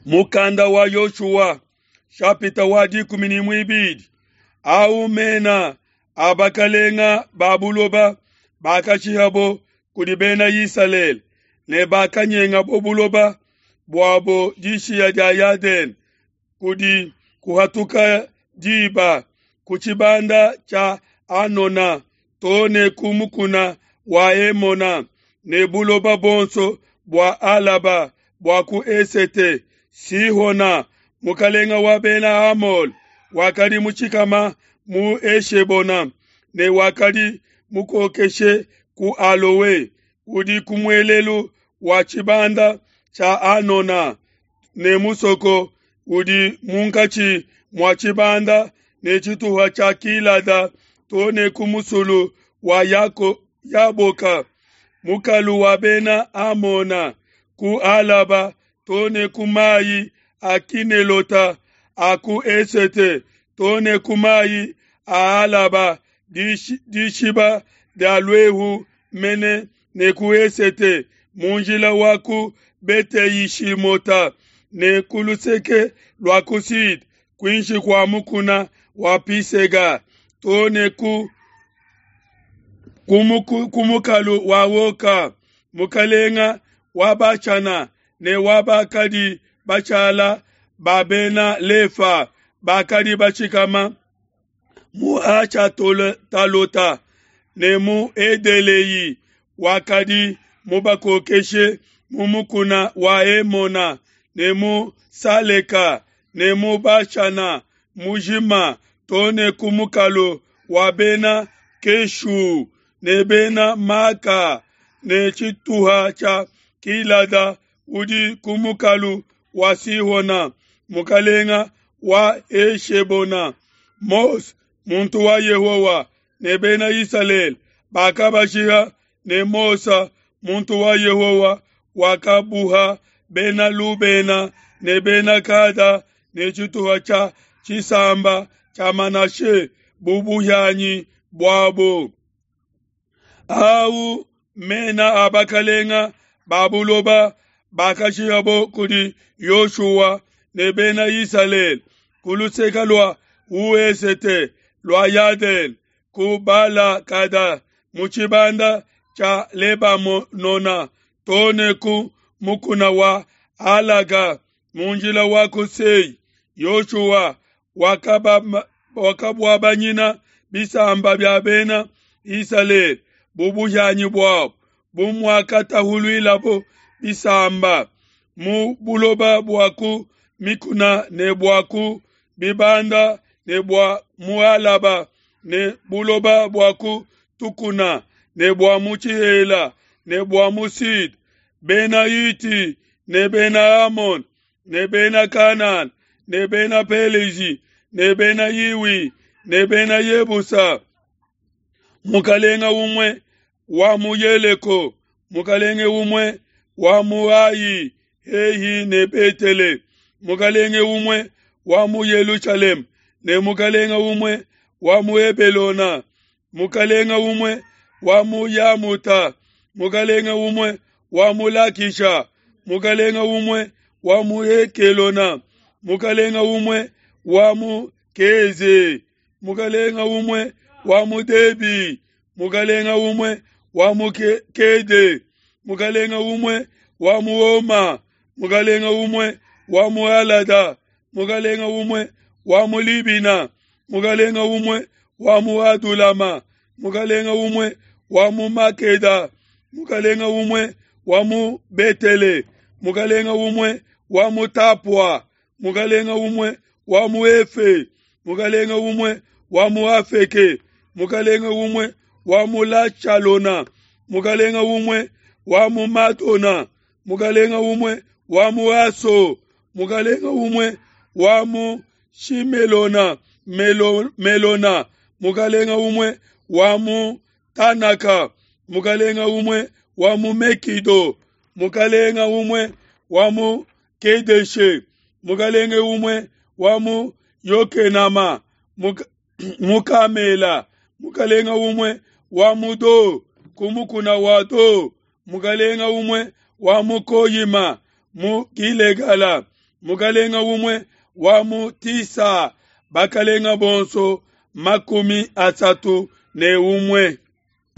Mukanda wa Yoshua shapita wa 12 au mena a bakalenga ba buloba bakashihabo kudi bena Isalele ne bakanyengabo buloba buabo dishiya dia Yadene kudi kuhatuka diba ku tshibanda tshia Anona to ne ku mukuna wa Hemona ne buloba bonso bua Alaba bua ku esete. Sihona mukalenga wa bena Amole wakadi mutshikama mu Eshebona ne wakadi mukokeshe ku Alowe udi ku muelelu wa tshibanda tshia Anona ne musoko udi munkatshi mua tshibanda ne tshituha tshia Kilada to ne ku musulu wa Yako, Yaboka, mukalu wa bena Amona ku Alaba to ne ku mayi a Kinelota a ku esete to ne ku mayi a Alaba dishiba dia luehu mene ne ku esete mu njila wa ku Bete-Yishimota ne ku luseke lua ku sud kuinshi kua mukuna wa Pisega to ne ku ku mukalu wa Oka mukalenga wa Bashana ne wa bakadi bashala ba bena Lefa bakadi bashikama mu Ashatalota ne mu Edelei wakadi mubakokeshe mu mukuna wa Hemona ne mu Saleka ne mu Bashana mujima to ne ku mukalu wa bena Keshu ne bena Maka ne tshituha tshia Kilada udi ku mukalu wa Sihona mukalenga wa Eshebona. Mose muntu wa Yehowa ne bena Isalele bakabashiha ne Mose muntu wa Yehowa wakabuha bena Lubena ne bena Gada ne tshituha tshia tshisamba tshia Manashe bu buhianyi buabo. Au mena a bakalenga ba buloba bakashihabo kudi Yoshua ne bena Isalele ku luseke lua wesete lua Yadene ku Bala-Gada mu tshibanda tshia Lebanona to ne ku mukuna wa Alaga mu njila wa ku Sei. Yoshua wakabuabanyina bisamba bia bena Isalele bu buhianyi buabo bu muakatahuluilabo bisamba mu buloba bua ku mikuna ne bua ku bibanda ne bua mu Alaba ne buloba bua ku tukuna ne bua mu tshihela ne bua mu Sud, bena Hiti ne bena Amon ne bena Kanana ne bena Pelezi ne bena Hiwi ne bena Yebusa. Mukalenga umue wa mu Yeleko, mukalenge umue wa mu Ai hehi ne Betele, mukalenge umue wa mu Yelushalema ne mukalenga umue wa mu Hebelona, mukalenga umue wa mu Yamuta, mukalenga umue wa mu Lakisha, mukalenga umue wa mu Ekelona, mukalenga umue wa mu Keze, mukalenga umue wa mu Debi, mukalenga umue wa mu Kede, mukalenga umue wa mu Oma, mukalenga umue wa mu Alada, mukalenga umue wa mu Libina, mukalenga umue wa mu Adulama, mukalenga umue wa mu Makeda, mukalenga umue wa mu Betele, mukalenga umue wa mu Tapua, mukalenga umue wa mu Efe, mukalenga umue wa mu Afeke, mukalenga umue wa mu Lachalona, mukalenga umue wa mu Madona, mukalenga umue wa mu Aso, mukalenga umue wa mu Shimelona, Melo, Melona, mukalenga umue wa mu Tanaka, mukalenga umue wa mu Mekido, mukalenga umue wa mu Kedeshe, mukalenge umue wa mu Yokenama, mu Kamela, mukalenga umue wa mu Do, ku mukuna wa Do, mukalenga umue wa mu Koyima, mu Gilegala, mukalenga umue wa mu Tisa, bakalenga bonso 31.